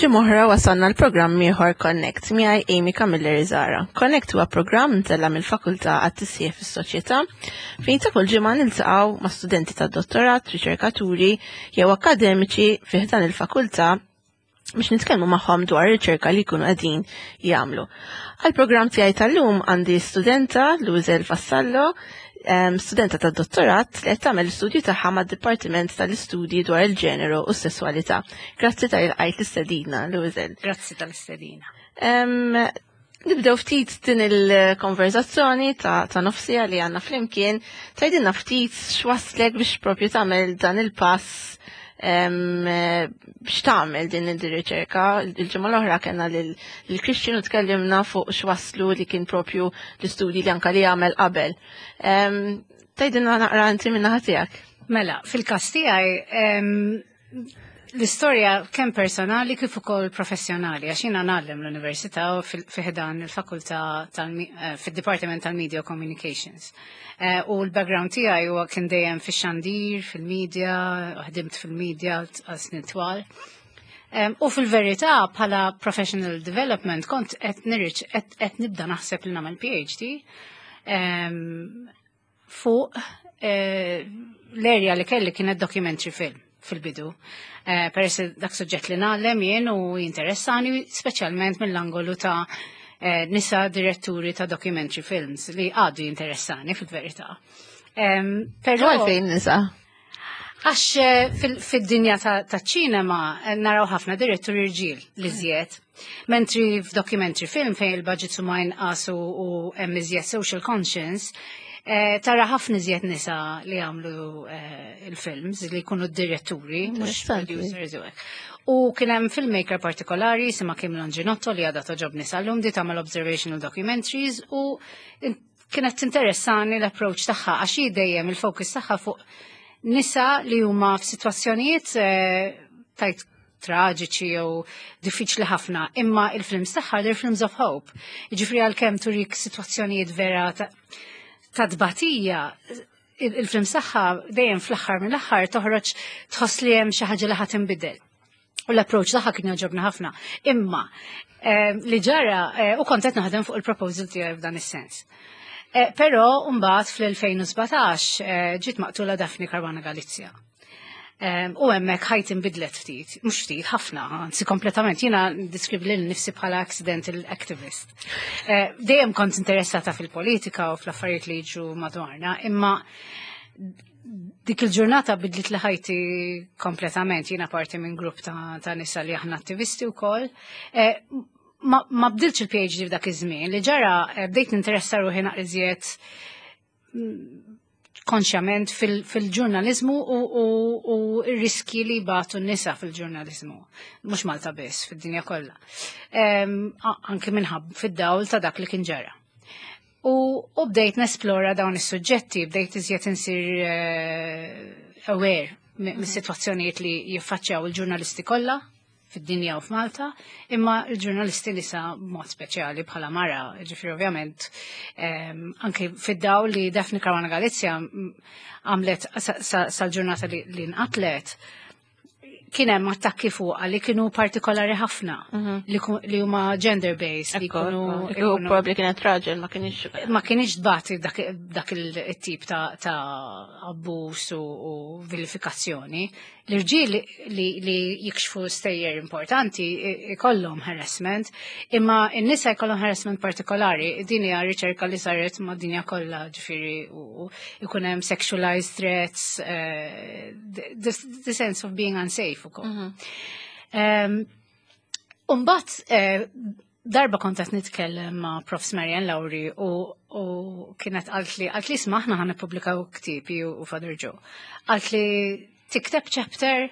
Ġimgħa oħra wasalna l-programm ieħor Connect miegħi Amy Camilleri Zara. Connect huwa programm mtella mill-Fakultà għat-Tisjieħ fis-Soċjetà fejn ta' kull ġimgħa niltaqgħu ma' studenti tad-dottorat, riċerkaturi jew akkademiċi fih dan il-fakultà biex nitkellmu magħhom dwar riċerka li jkunu qegħdin jagħmlu. Għall-programm tiegħi tal-lum għandi studenta Luizel Vassallo, studenta tad dottorat li qed tagħmel l-istudju tagħha mad-Dipartiment tal-Istudji dwar il-Ġeneru u s-Sesswalità. Grazzi tal-qajt l-istedina, Luizel. Grazzi tal-istedina. Nibdew ftit din il-konverzazzjoni ta', ta nofsija li għanna flimkien, tajdinna ftit x'waslek biex propju tagħmel dan il-pass biex tagħmel din ir-riċerka. Il-ġimgħa l-oħra kellna lil Christian u tkellimna fuq x'waslu li kien propju l-istudji li anka li għamel qabel. Tajdinna naqra inti minn naħa tiegħek. Mela, fil-każ tiegħi l-istorja kemm personali kif ukoll professjonali, għax jiena ngħallem l-università u fi ħdan il-fakultà eh, fid-Dipartiment tal-Media Communications. Eh, u l-background tiegħi huwa kien dejjem fix-xandir, fil-media, ħdimt fil-media għal snin twal. U fil-verità bħala professional development kont qed nirriċ qed nibda naħseb li nagħmel PhD fuq eh, l-erja li kelli kienet documentary film fil-bidu. Eh, peress dak suġġett li nagħlem jien u jinteressani speċjalment mill-angolu ta' eh, nisa diretturi ta' documentary films li għadu jinteressani fil-verità. Però għalfejn nisa? Għax fil-dinja ta' ċinema naraw ħafna diretturi rġiel li żjed. Mentri f'documentary film fejn il-budget huma inqas u hemm iżjed social conscience, eh, tara ħafna iżjed nisa li għamlu eh, il-films li jkunu d-diretturi, mhux producers u hekk. U kien hemm filmmaker partikolari sima Kim Longinotto li għadha toġobni sal-lum di tagħmel observational documentaries u kienet tinteressani l-approach tagħha għax hi dejjem il-focus tagħha fuq nisa li huma f'sitwazzjonijiet eh, tajt traġiċi jew diffiċli ħafna, imma il-films tagħha they're films of hope. Jiġifieri għalkemm turik sitwazzjonijiet vera ta' tbatija, il-films tagħha dejjem fl-aħħar mill-aħħar toħroġ tħoss li hemm xi ħaġa li ħadd inbidel. U l-approach tagħha kien jogħġobna ħafna. Imma eh, li ġara eh, u kont qed naħdem fuq il-proposal tiegħi f'dan is-sens. Eh, però mbagħad fl-2017 ġiet maqtula Daphne Caruana Galizia. U hemmhekk ħajti nbidlet ftit, mhux ftit, ħafna, anzi kompletament. Jiena diskrivi lil nifsi bħala accidental activist. Eh, dejjem kont interessata fil-politika u fl-affarijiet li jiġu madwarna, imma dik il-ġurnata bidlit li ħajti kompletament. Jiena parti minn grupp ta', ta nisa li aħna attivisti wkoll. Eh, ma, ma bdilx il-PhD f'dak iż-żmien li ġara eh, bdejt ninteressa ruħi naqriżiet konxjament fil-ġurnalizmu u r-riski li batu n-nisa fil-ġurnalizmu. Mux Malta biss, fid-dinja kollha. Anki minħab fid-dawl ta' dak li kien ġara. U bdejt nesplora dawn is-suġġetti, bdejt iżjed insir eh, aware mis-sitwazzjonijiet li jiffaċċjaw il-ġurnalisti kollha fid-dinja u f'Malta, imma l-ġurnalisti nisa mod speċjali bħala mara, ġifri ovvjament, ehm, anke fid-daw li Daphne Caruana Galizia għamlet sal-ġurnata li nqatlet, kien hemm attakki fuqha li kienu partikolari ħafna mhm. li huma gender based li kienu probabbli kienet raġel ma kienx ma kienx tbati dak il-tip ta' abbuż u vilifikazzjoni. L-irġiel li, li jikxfu stejjer importanti ikollhom harassment, imma n-nisa jkollhom harassment partikolari. Din hija riċerka li saret ma' dinja kollha, ġifieri u jkun hemm sexualized threats, uh, the, the sense of being unsafe ukoll. Mm -hmm. um, Umbat, eh, darba kont qed nitkellem ma' Prof. Marian Lauri u, u kienet qalt li qalt li isma' aħna ħan nippubblikaw ktieb u Father Joe. Qalt li tikteb chapter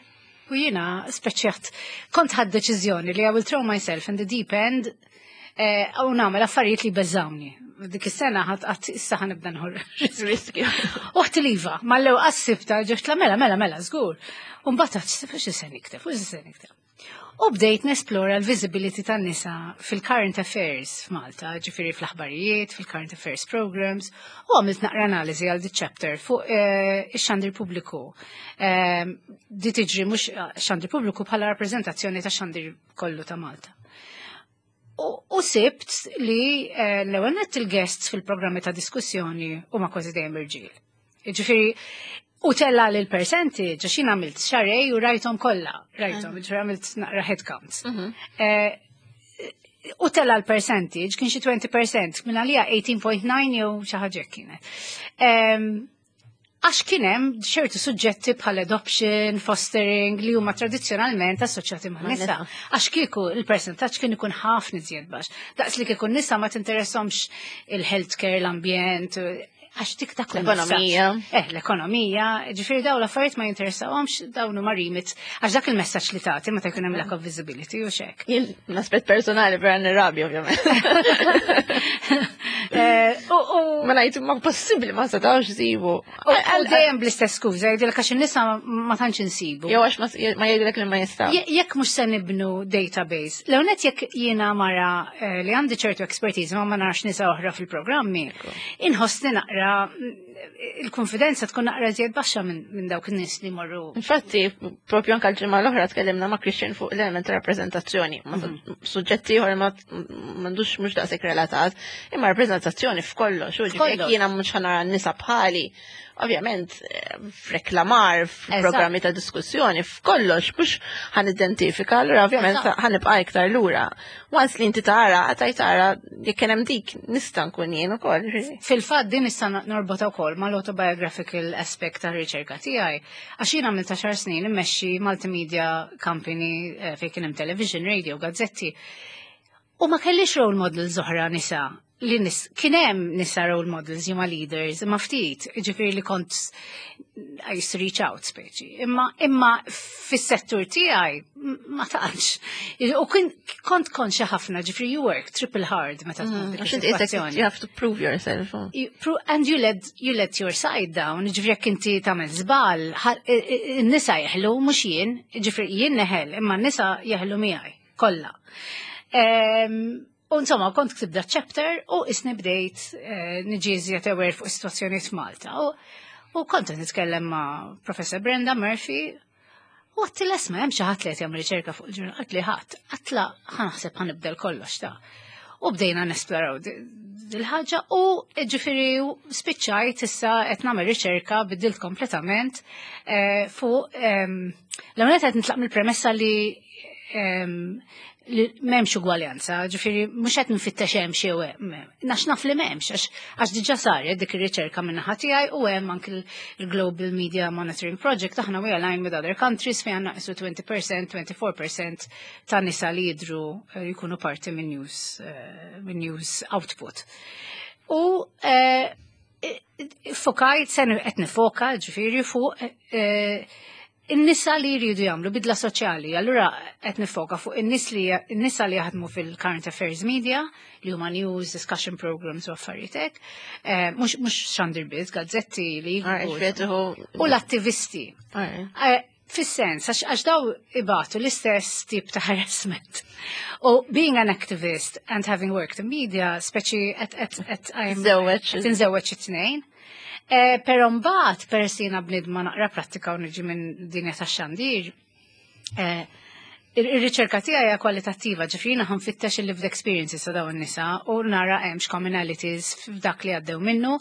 u jiena speċjat kont ħad deċiżjoni li I will throw myself in the deep end eh, u nagħmel affarijiet li beżawni. Dik is-sena ħadd qatt issa ħa nibda nħor riskju. Uħt l-iva, mal-lew qassibta ġoxt la mela mela mela żgur. U mbagħad xi se nikteb, u xi se nikteb. U bdejt nesplora l-visibility tan-nisa fil-current affairs f'Malta, ġifieri fl-aħbarijiet, fil-current affairs programs, u għamilt naqra analiżi għal di chapter fuq ix-xandir pubbliku. Di tiġri mhux xandir pubbliku bħala rappreżentazzjoni ta' xandir kollu ta' Malta. U sibt li l-ewwel nett il-guests fil-programmi ta' diskussjoni huma kważi dejjem irġiel. Ġifieri, u tella li l-percentage, għax jien għamilt xarej u rajthom kollha, rajthom, ġifieri għamilt naqra head counts. U tella l-percentage kien xi 20%, minn għalija 18.9 jew xi ħaġa kienet. Għax kien hemm ċertu suġġetti bħal adoption, fostering li huma tradizzjonalment assoċjati ma' nisa. Għax kieku il-percentaġġ kien ikun ħafna iżjed baxx. Daqs li kieku nisa ma tinteressahomx il-healthcare, l-ambjent, għax dik dak L-ekonomija. L-ekonomija, ġifieri dawn l-affarijiet ma jinteressawhomx, dawn huma remit, għax dak il-messaġġ li tagħti meta jkun hemm lack of visibility u xek. Jien l-aspett personali vera nirrabja ovvjament. Ma ngħid ma possibbli ma setgħux isibu. U dejjem bl-istess skuża, jgħidilek għax in-nisa ma tantx insibu. Jew għax ma jgħidilek li ma jistgħu. Jekk mhux se nibnu database, l-ewwel jekk jiena mara li għandi ċertu expertise ma narax nisa oħra fil-programmi, inħossni naqra il-konfidenza tkun naqra żjed baxxa minn dawk in-nies li morru. Infatti, propju anke l-ġimgħa l-oħra tkellimna ma' Christian fuq l-element ta' rappreżentazzjoni, ma suġġetti ieħor ma m'għandux mhux daqshekk relatat, imma rappreżentazzjoni f'kollox, u ġifieri jekk jiena mhux ħa nara n-nisa bħali, ovvjament f'reklamar, f'programmi ta' diskussjoni, f'kollox, mhux ħa nidentifika, allura ovvjament ħa nibqa' iktar lura. Once li inti tara, għataj tara, jekk kien hemm dik, nista' nkun jien ukoll. Fil-fatt din nista' norbotha wkoll mal-autobiographical aspect tar-riċerka tiegħi. Għax jien għamilt 10 snin immexxi multimedia company fejn kien hemm television, radio, gazzetti. U ma kellix role models oħra nisa. Li nis, kien hemm nisa role models huma leaders, imma ftit, ġifieri li kont I used to reach out speċi. Imma fis-settur tiegħi ma tantx. U kont konxja ħafna, ġifieri you work triple hard meta tkun dik Għax inti qisek is-sitwazzjoni. you have to prove yourself. Oh. And you let your side down, ġifieri jekk inti tagħmel żball, in-nisa jeħlu mhux jien, ġifieri jien neħel, imma n-nisa jeħlu miegħi kollha. U insomma, kont ktib da chapter u isni bdejt niġi iżjed aware fuq is-sitwazzjoni f'Malta. U kont qed nitkellem ma' Professor Brenda Murphy u għedtilha, "Isma', hemm xi ħadd li qed jagħmel riċerka fuq il-ġurnal?" Għedtli ħadd, għedtilha ħa naħseb ħa nibdel kollox ta'. U bdejna nesploraw dil-ħaġa u ġifieri spiċċajt issa qed nagħmel riċerka, biddilt kompletament fuq l-ewwel qed nitlaq mill-premessa li m'hemmx ugwaljanza, ġifieri mhux qed nfittex hemm xi hemm, nax naf li m'hemmx, għax diġà saret dik ir-riċerka minn naħa tiegħi u hemm anki l-Global Media Monitoring Project, aħna we align with other countries fejn għandna qisu 20%, 24% ta' nisa li jidru jkunu parti minn news output. U fokajt, sen qed nifoka ġifieri fuq in-nisa li jridu jagħmlu bidla soċjali. Allura qed nifoka fuq in-nisa li jaħdmu fil-current affairs media, li huma news, discussion programs u affarijiet hekk. Mhux xandir biss, gazzetti li jiktbu. U l-attivisti. Fis-sens, għax daw ibatu l-istess tip ta' harassment. U being an activist and having worked in media, speċi et I'm Żewweġ. qed inżewweġ it-tnejn. Pero mbagħad peress jiena bnidma naqra prattika u niġi minn dinja tax-xandir, ir-riċerka tiegħi hija kwalitattiva, ġifieri jiena ħa nfittex il-lived experiences ta' dawn in-nisa u nara hemmx commonalities f'dak li għaddew minnu.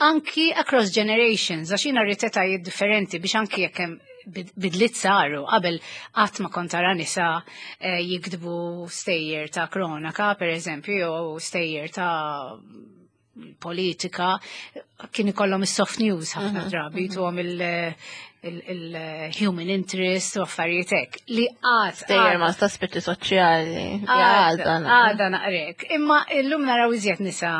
Anki across generations, għax jiena rrid etajiet differenti biex anki jekk hemm bidliet saru, qabel qatt ma kont tara nisa jiktbu stejjer ta' kronaka, per eżempju, jew stejjer ta' politika, kien ikollhom is-soft news ħafna drabi, tuhom il-human interest u affarijiet hekk li għad Stejjer ma ta' aspetti soċjali. Għada Għada. Għada naqrek. Imma illum naraw iżjed nisa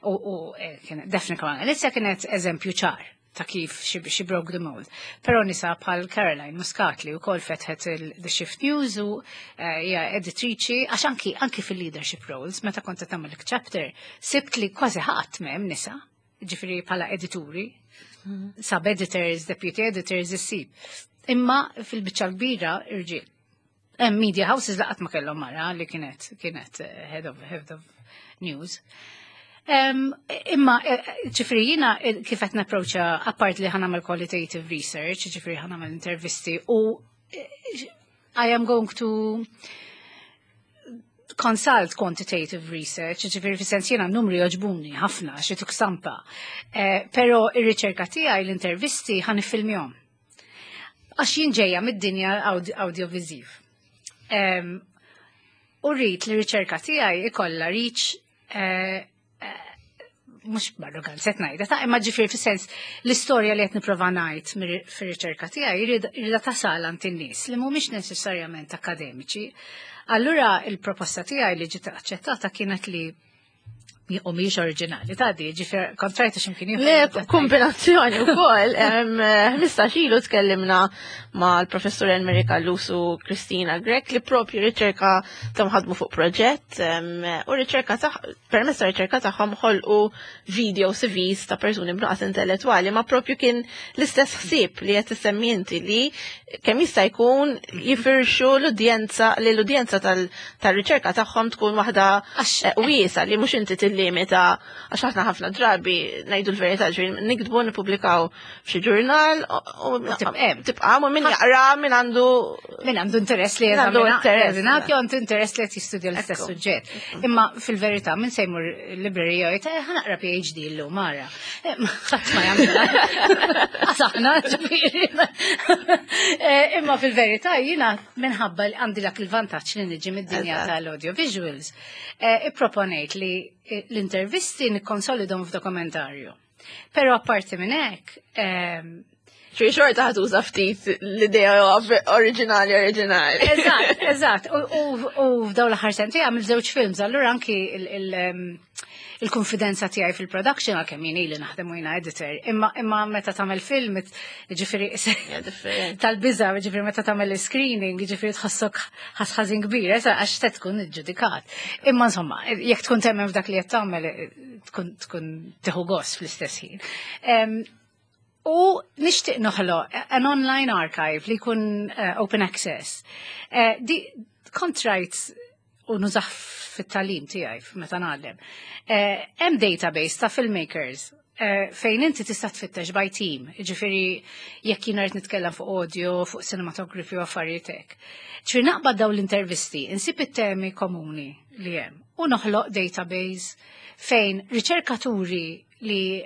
u Daphne Caruana Galizia kienet eżempju ċar ta' kif she broke the mold. Pero nisa bħal Caroline Muscat li wkoll fetħet il-The Shift News u hija editriċi, għax anki fil-leadership roles, meta kont qed tagħmel chapter, sibt li kważi ħadd m'hemm nisa, ġifieri bħala edituri, sub-editors, deputy editors, issib. Imma fil-biċċa kbira irġiel. Hemm media houses li qatt ma kellhom mara li kienet kienet head of news. Imma ġifieri jiena kif qed napproċċa, apart li ħa nagħmel qualitative research, ġifieri ħa nagħmel intervisti u I am going to consult quantitative research, ġifieri fi sens jiena numri joġbuni ħafna xi tuk stampa. Pero ir-riċerka tiegħi, l-intervisti ħa niffilmjahom. Għax jien ġejja mid-dinja audiovisiv. U rrid li riċerka tiegħi ikolla reach, mhux b'arroganza qed ngħidha, ta' imma ġifieri fi sens l-istorja li qed nipprova ngħid fir-riċerka tiegħi jridha tasal għand in-nies li mhumiex neċessarjament akademiċi. Allura il-proposta tiegħi li ġiet aċċettata kienet li, u mhijiex oriġinali ta' di, ġifieri kontrajta x'imkien ieħor. Le, kombinazzjoni wkoll. 15 ilu tkellimna mal-professur Enrica Callus u Kristina Grech li propju riċerka ta' ħadmu fuq proġett u riċerka ta' permezz ta' riċerka tagħhom ħolqu video CVs ta' persuni b'nuqqas intellettwali, ma propju kien l-istess ħsieb li qed issemmi inti, li kemm jista' jkun jifirxu l-udjenza, li l-udjenza tal-riċerka tagħhom tkun waħda wiesa, li mhux inti tillimita, għax aħna ħafna drabi, ngħidu l-verità, ġifieri niktbu, nippubblikaw f'xi ġurnal u tibqa' u min jaqra, min għandu min għandu interess li għandu interess. Jeżamina, għandu interess li qed jistudja l-istess suġġett. Imma fil-verità min se jmur librerija jgħid, "Ħa naqra PhD llum mara." Ħadd ma jagħmilha. Għax aħna ġifieri. Imma fil-verità jiena minħabba li għandi dak il-vantaġġ li niġi mid-dinja tal-audiovisuals, ipproponejt li l-intervisti nikkonsolidhom f'dokumentarju. Però apparti minn hekk, Xi xorta ħa tuża ftit l-idea oriġinali oriġinali. Eżatt. U f'daw l-aħħar sentejn għamil żewġ films, allura anki il-konfidenza tiegħi fil-production, għalkemm jien ili naħdem u jiena editor, imma meta tagħmel film, ġifieri tal-biża, ġifieri meta tagħmel screening, ġifieri tħossok ħażin kbir, esa għax te tkun iġġudikat. Imma insomma, jekk tkun temmen f'dak li qed tagħmel, tkun tieħu gost fl-istess ħin. U nixtieq noħloq an online archive li jkun open access. Di kontrajt u nużah fit-tagħlim tiegħi meta ngħallem. Hemm database ta' filmmakers fejn inti tista' tfittex by team, ġifieri jekk jien rrid nitkellem fuq audio, fuq cinematography u affarijiet hekk. Ġifieri naqbad dawn l-intervisti, insib it-temi komuni li hemm u noħloq database fejn riċerkaturi li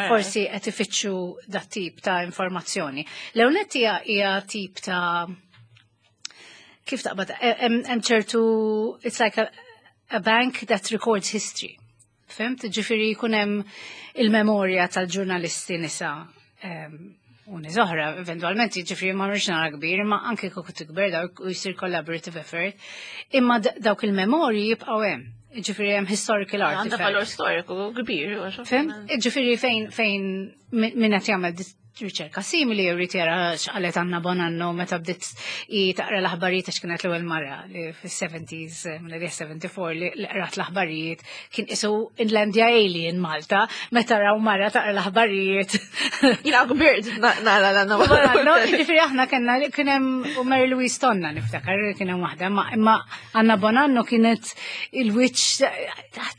forsi qed ifittxu dat tip ta' informazzjoni. L-ewwel hija tip ta' kif taqbad, hemm ċertu, it's like a bank that records history. Fhimt? Ġifieri jkun hemm il-memorja tal-ġurnalisti nisa u nies oħra, eventualment, ġifieri ma rridx nara kbir, imma anke kieku tikber dawk u jsir collaborative effort, imma dawk il-memorji jibqgħu hemm. Ġifieri hemm historical artifact. Għandha valur storiku kbir. Fhimt? Ġifieri fejn min qed jagħmel riċerka simili jrid jara x'qalet Anna Bonanno meta bdiet i taqra l-aħbarijiet, għax kienet l-ewwel mara li fis-70s, mill-74, li qrat l-aħbarijiet, kien isu Inlandja Alien Malta meta raw mara taqra l-aħbarijiet. Jiena kbirt nara l-Anna Bonanno. Ġifieri aħna kellna, kien hemm u Mary Louise Tonna niftakar kien hemm waħda, imma Anna Bonanno kienet il-wiċċ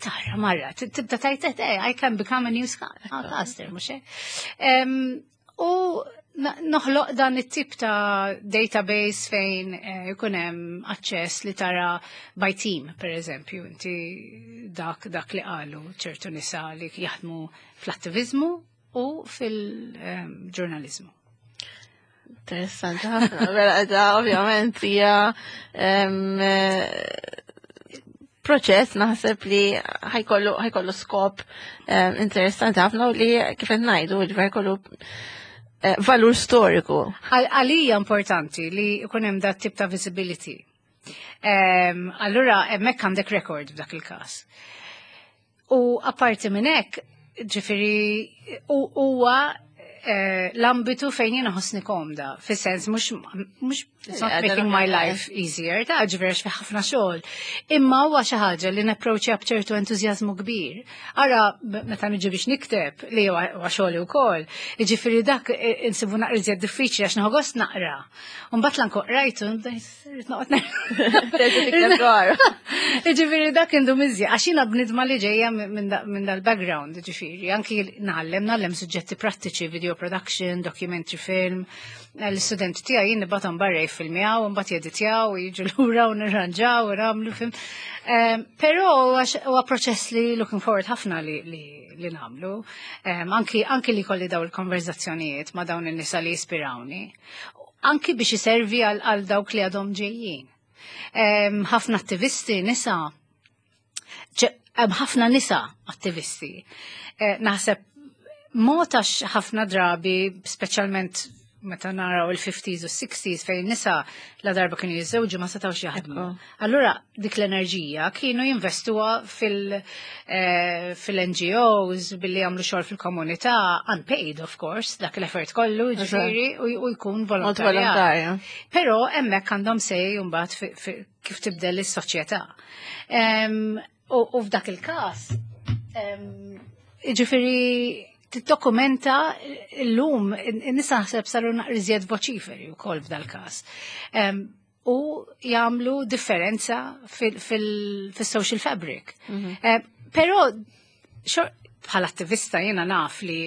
tara mara tibda tajt, "I can become a newscaster," mhux hekk? U noħloq dan it-tip ta' database fejn jkun hemm aċċess li tara by team, per eżempju, inti dak li qalu ċertu nisa li jaħdmu fl-attivizmu u fil-ġurnalizmu. Interessanti ħafna, vera da ovvjament hija proċess naħseb li ħa jkollu skop interessanti ħafna u li kif qed ngħidu, ġifieri ħa jkollu valur storiku. Għalija importanti li jkun hemm dat tip ta' visibility. Allura hemmhekk għandek record f'dak il-każ. U apparti minn hekk, ġifieri huwa l-ambitu fejn jiena ħossni komda, fis-sens mhux it's not making my life easier, ta' ġifieri fi ħafna xogħol. Imma huwa xi ħaġa li napproċċja b'ċertu entużjażmu kbir. Ara meta niġi biex nikteb li huwa xogħli wkoll, jiġifieri dak insibu naqra iżjed diffiċli għax nieħu gost naqra. U mbagħad lanko qrajtu rrid noqgħod Jiġifieri dak indu miżja għax jiena bnidma li ġejja minn dal-background, ġifieri, anki ngħallem suġġetti prattiċi, video production, documentary film, l-studenti tiegħi jien nibgħathom barra jiffilmjaw, mbagħad jeditjaw, jiġu lura u nirranġaw u nagħmlu film. Però huwa proċess li looking forward ħafna li nagħmlu. Anki li kolli daw il-konverzazzjonijiet ma' dawn in-nisa li jispirawni. Anki biex iservi għal dawk li għadhom ġejjin. Ħafna attivisti nisa, ħafna nisa attivisti. Naħseb mod għax ħafna drabi, speċjalment meta naraw il-50s u 60s fejn nisa la darba kienu jiżżewġu ma setgħux jaħdmu. Allura dik l-enerġija kienu jinvestuha fil-NGOs billi jagħmlu xogħol fil-komunità, unpaid of course, dak l-effort kollu ġifieri u jkun volontarja. Però hemmhekk għandhom say mbagħad kif tibdel is-soċjetà. U f'dak il-każ, ġifieri tiddokumenta l-lum, nisa naħseb saru naqra iżjed voċiferi u kol f'dal-każ. U jagħmlu differenza fil-social fabric. Però bħala attivista jiena naf li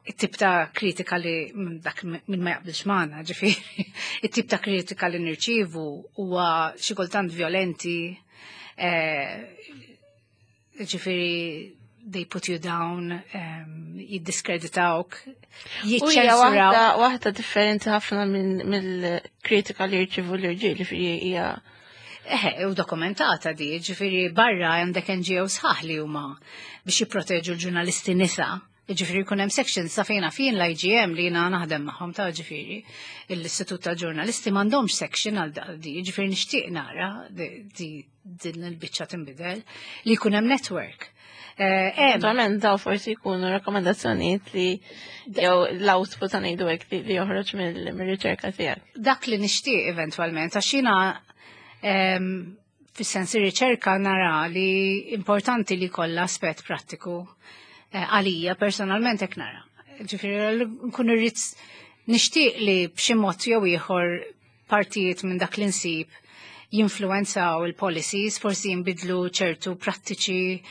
it-tip ta' kritika li dak minn ma jaqbilx magħna, ġifieri, it-tip ta' kritika li nirċievu huwa xi kultant violenti, ġifieri they put you down, jiddiskreditawk, jiċċensuraw. Waħda differenti ħafna mill-kritika li jirċivu l-irġiel, ġifieri hija. Eħe, u dokumentata di, ġifieri barra għandek NGO sħaħ li huma biex jipproteġu l-ġurnalisti nisa. Ġifieri jkun hemm sections sa fejna fin l-IGM li jiena naħdem magħhom ta' ġifieri l-Istitut ta' Ġurnalisti m'għandhomx section għal di, ġifieri nixtieq nara di din il-biċċa tinbidel li jkun hemm network. Eventualment daw forsi jkunu rakkomandazzjonijiet li jew l-output ta' ngħidu hekk li joħroġ mill-riċerka tiegħek. Dak li nixtieq eventwalment, għax jiena fis-sens riċerka nara li importanti li kollha aspett prattiku għalija personalment hekk nara. Ġifieri nkun irrid nixtieq li b'xi mod jew ieħor partijiet minn dak li nsib jinfluenzaw il-policies, forsi jinbidlu ċertu prattiċi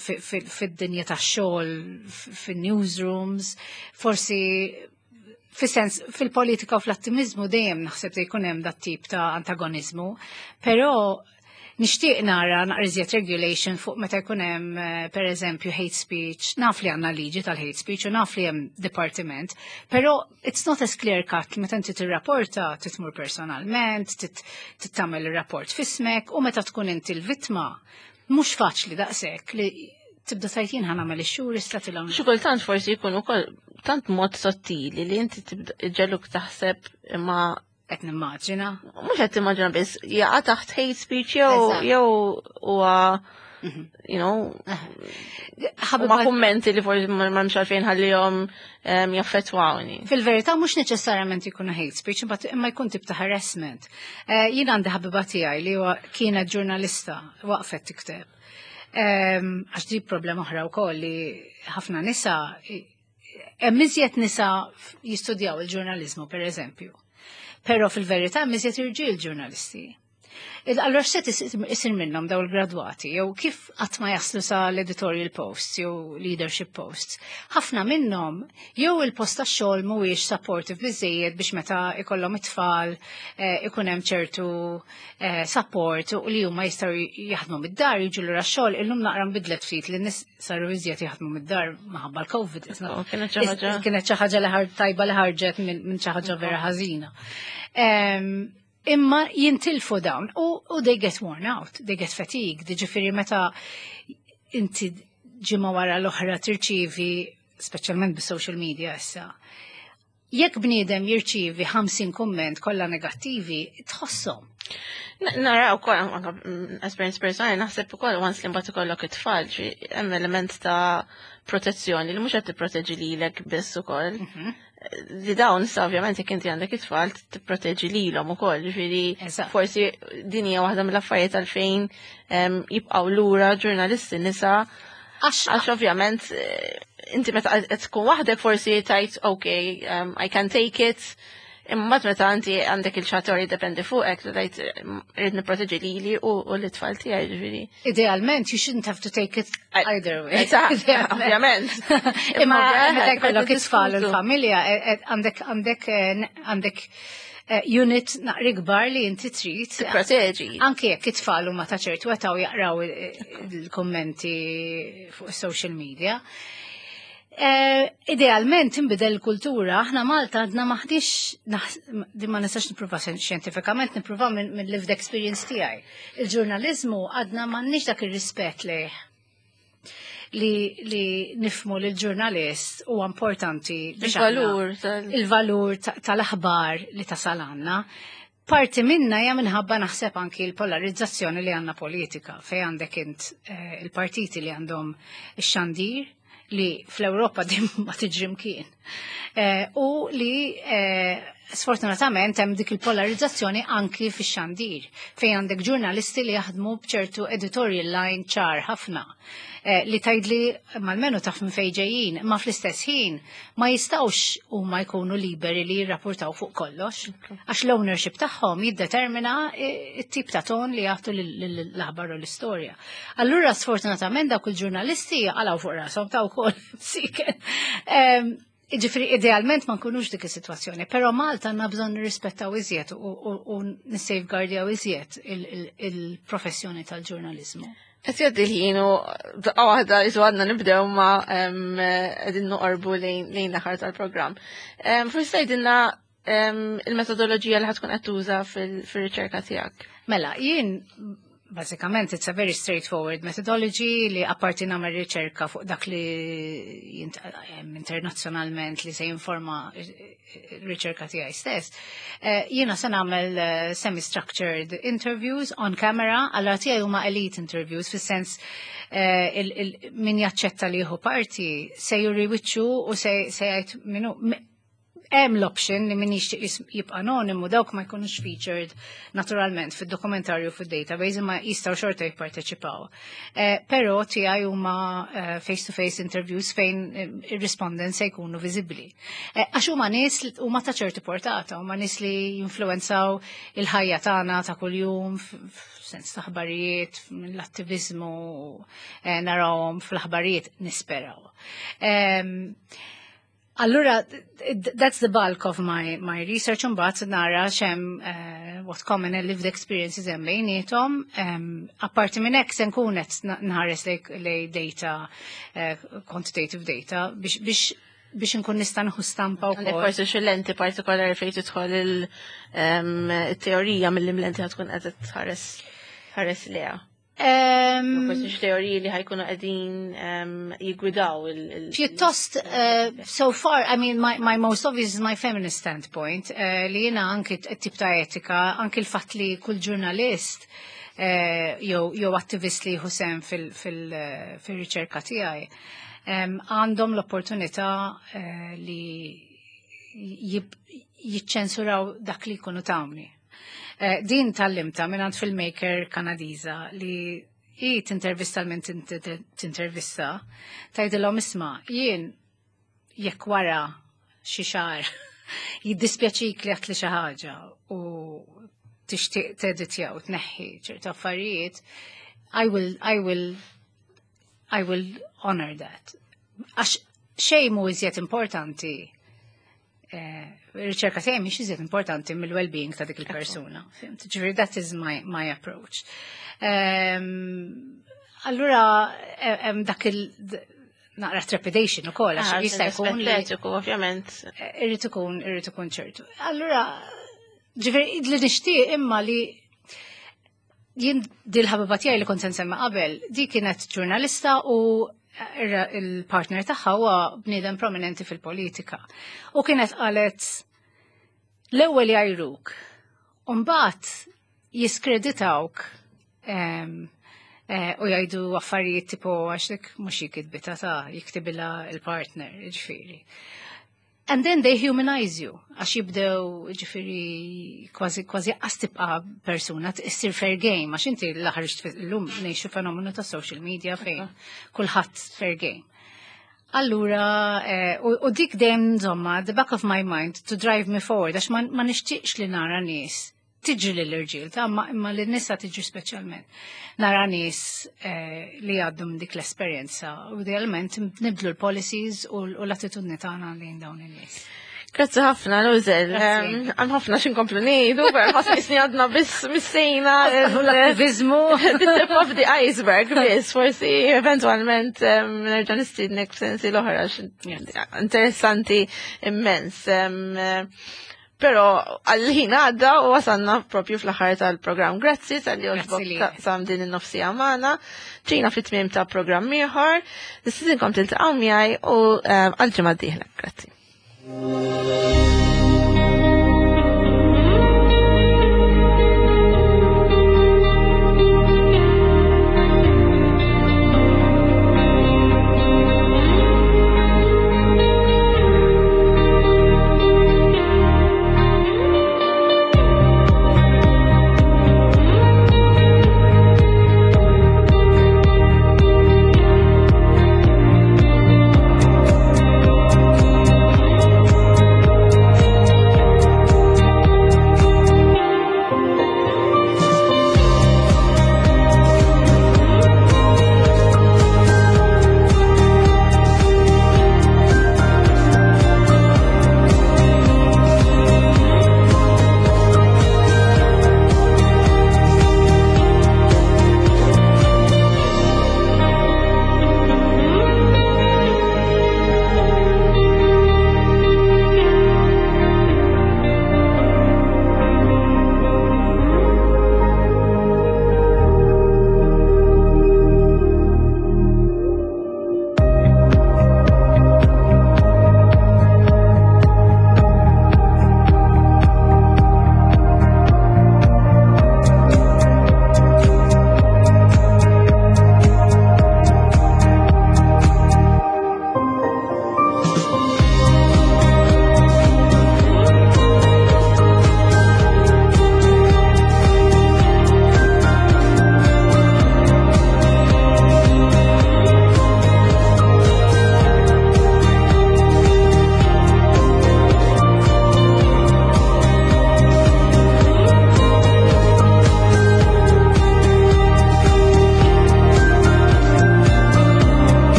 fid-dinja tax-xogħol, fin-newsrooms, forsi fis-sens fil-politika u fl-attivizmu dejjem naħseb li jkun hemm dat tip ta' antagonizmu, però nixtieq nara naqra iżjed regulation fuq meta jkun hemm per eżempju hate speech, naf li għandna liġi tal-hate speech u naf li hemm departiment, però it's not as clear cut meta inti tirrapporta titmur personalment, tittamel ir-rapport fismek u meta tkun inti l-vittma mhux faċli daqshekk li tibda tajt jien ħa nagħmel ix-xhur issa tilhom. Xi kultant forsi jkun ukoll tant mod sottili li inti tibda ġeluk taħseb imma qed nimmaġina. Mhux qed timmaġina biss, jaqa' taħt hate speech jew huwa ma kummenti li forsi ma m'hemmx għalfejn ħallihom jaffettwawni. Fil-verità mhux neċessarjament ikunu hate speech, imma jkun tip ta' harassment. Jien għandi ħabiba tiegħi li huwa kienet ġurnalista waqfet tikteb. Għax di problema oħra wkoll li ħafna nisa hemm iżjed nisa jistudjaw il-ġurnaliżmu per eżempju. Però fil-verità hemm iżjed irġiel ġurnalisti. Allora x'se isir minnhom daw il-gradwati jew kif qatt ma jaslu sa l-editorial posts jew leadership posts. Ħafna minnhom jew il-post tax-xogħol mhuwiex supportive biżejjed biex meta ikollhom it-tfal ikun hemm ċertu support u li huma jistgħu jaħdmu mid-dar jiġu lura x-xogħol illum naqra nbidlet ftit li n-nies saru iżjed jaħdmu mid-dar minħabba l-COVID. Oh, kienet xi ħaġa. Kienet xi ħaġa li tajba li ħarġet minn xi ħaġa vera ħażina. Imma jintilfu dawn u they get worn out, they get fatigued, ġifieri meta inti ġimgħa wara l-oħra tirċivi, speċjalment bis-social media issa, jekk bniedem jirċivi 50 kumment kollha negattivi, tħosshom. Nara wkoll anke esperjenza personali naħseb ukoll once li mbagħad ikollok it-tfal, hemm element ta' protezzjoni li mhux qed tipproteġi lilek biss ukoll. Li dawn issa ovvjament jekk inti għandek it-tfal tipproteġi lilhom ukoll, ġifieri forsi din hija waħda mill-affarijiet għalfejn jibqgħu lura ġurnalisti nisa għax ovvjament inti meta qed tkun waħdek forsi tgħid okay, I can take it. Imma meta inti għandek il-ċator jiddependi fuqek, tgħid irrid nipproteġi lili u l-itfal tiegħi, ġifieri. Idealment, you shouldn't have to take it either way. Ovvjament. Imma meta jkollok it-tfal u l-familja, għandek unit naqra kbar li inti trid. Tipproteġi. Anke jekk it-tfal huma ta' ċertu età u jaqraw il-kommenti fuq social media. Idealment tinbidel il-kultura, aħna Malta għadna maħdix, din ma nistax nipprova xjentifikament, nipprova minn lived experience tiegħi. Il-ġurnalizmu għadna m'għandniex dak ir-rispett lejh li nifhmu li l-ġurnalist huwa importanti biex aħna Il-valur il-valur tal-aħbar li tasal għandna. Parti minna hija minħabba naħseb anki l-polarizzazzjoni li għandna politika, fej għandek int il-partiti li għandhom ix-xandir li fl-Ewropa din ma tiġri mkien. U li sfortunatament hemm dik il-polarizzazzjoni anki fix-xandir, fejn għandek ġurnalisti li jaħdmu b'ċertu editorial line ċar ħafna. Li tgħidli malmenu taf minn fejn ġejjin, ma fl-istess ħin ma jistgħux huma jkunu liberi li jirrapportaw fuq kollox, għax l-ownership tagħhom jiddetermina it-tip ta' ton li jagħtu l-aħbar u l-istorja. Allura sfortunatament dawk il-ġurnalisti għalaw fuq rashom ta' wkoll siken. Ġifieri, idealment ma nkunux dik is-sitwazzjoni, però Malta għandna bżonn nirrispettaw iżjed u nissafeguardjaw iżjed il-professjoni tal-ġurnalizmu. Qed jgħaddi l-ħin u daqqa waħda isu għadna nibdew ma qegħdin noqorbu lejn l-aħħar tal-programm. Forsi tgħidilna il-metodoloġija li ħa tkun qed tuża fil-riċerka tiegħek. Mela, jien bażikament it's a very straightforward methodology li apparti nagħmel riċerka fuq dak li internazzjonalment li se jinforma r-riċerka tiegħi stess. Jiena se nagħmel semi-structured interviews on camera, allura tiegħi huma elite interviews fis-sens min jaċċetta li jieħu parti se juri wiċċu u se jgħid minu hemm l-option li min jixtieq jibqa' anonimu, dawk ma jkunux featured naturalment fid-dokumentarju fid-database imma jistgħu xorta jipparteċipaw. Però tiegħi huma face-to-face interviews fejn ir-respondents se jkunu viżibbli. Għax huma nies li huma ta' ċertu portata, huma nies li jinfluwenzaw il-ħajja tagħna ta' kuljum f'sens ta' aħbarijiet, mill-attiviżmu, narawhom fl-aħbarijiet nisperaw. Allura, that's the bulk of my research, mbagħad nara xem what common and lived experiences hemm bejniethom. Apparti minn hekk se nkun qed nħares lej data, quantitative data, biex nkun nista' nieħu stampa Għandek wkoll. forsi xi lenti partikolari fejn tidħol il-teorija mill-lenti ħa tkun qed tħares lejha. Forsi xi teoriji li ħa jkunu qegħdin jiggwidaw il- Pjuttost, so far, I mean, my most obvious is my feminist standpoint, li jiena anki t-tip ta' etika, anki l-fatt li kull ġurnalist jew attivist li jieħu sehem fil-riċerka tiegħi, għandhom l-opportunità li jiċċensuraw dak li jkunu tawni. Din tgħallimtha minn filmmaker Kanadiża li hi tintervista l min tintervista, tgħidilhom isma' jien jekk wara xi xahar jiddispjaċik li għedtli xi ħaġa u tixtieq teditja u tneħħi ċertu affarijiet, I will honor that. Għax xejn mhu iżjed importanti, riċerka tiegħi mhix iżjed importanti mill-well-being ta' dik il-persuna. Fhimt? Ġifieri that is my approach. Allura hemm dak il naqra trepidation ukoll għax jista' jkun li Etiku, ovvjament. Irrid ikun ċertu. Allura, ġifieri li nixtieq imma li jien dil-ħabiba tiegħi li kont se nsemmi qabel, di kienet ġurnalista u il-partner tagħha huwa bniedem prominenti fil-politika. U kienet qalet l-ewwel jgħajruk. U mbagħad jiskreditawk u jgħidu affarijiet tipo għax dik mhux hi kitbitha ta' jiktibilha il-partner, ġifieri. And then they humanize you, għax jibdew ġifieri kważi kważi qas tibqa' persuna, issir fair game, għax inti l-aħħar llum ngħixu fenomenu ta' social media fejn kulħadd fair game. Allura, u dik dejjem insomma, the back of my mind to drive me forward, għax ma nixtieqx li nara nies tiġri lill-irġiel, ta' imma lin-nisa tiġri speċjalment. Nara nies li għaddu minn dik l-esperjenza u idealment nibdlu l-policies u l-attitudni tagħna lejn dawn in-nies. Grazzi ħafna, Luzel. Għandna ħafna x'inkomplu ngħidu, pero ħafna isni għadna biss missejna. L-attivizmu. The tip of the iceberg, biss, forsi eventualment nerġa' nistiednek f'sensi l-oħra, interessanti immens. Pero għal-ħin għadda u wasanna propju fl-aħħar tal-programm. Grazzi talli għoġbok sam din in-nofsija magħna. Ġejna fit-tmiem ta' programm ieħor. Nistidinkom tiltaqgħu miegħi u għal-ġimgħa d-dieħla. Grazzi.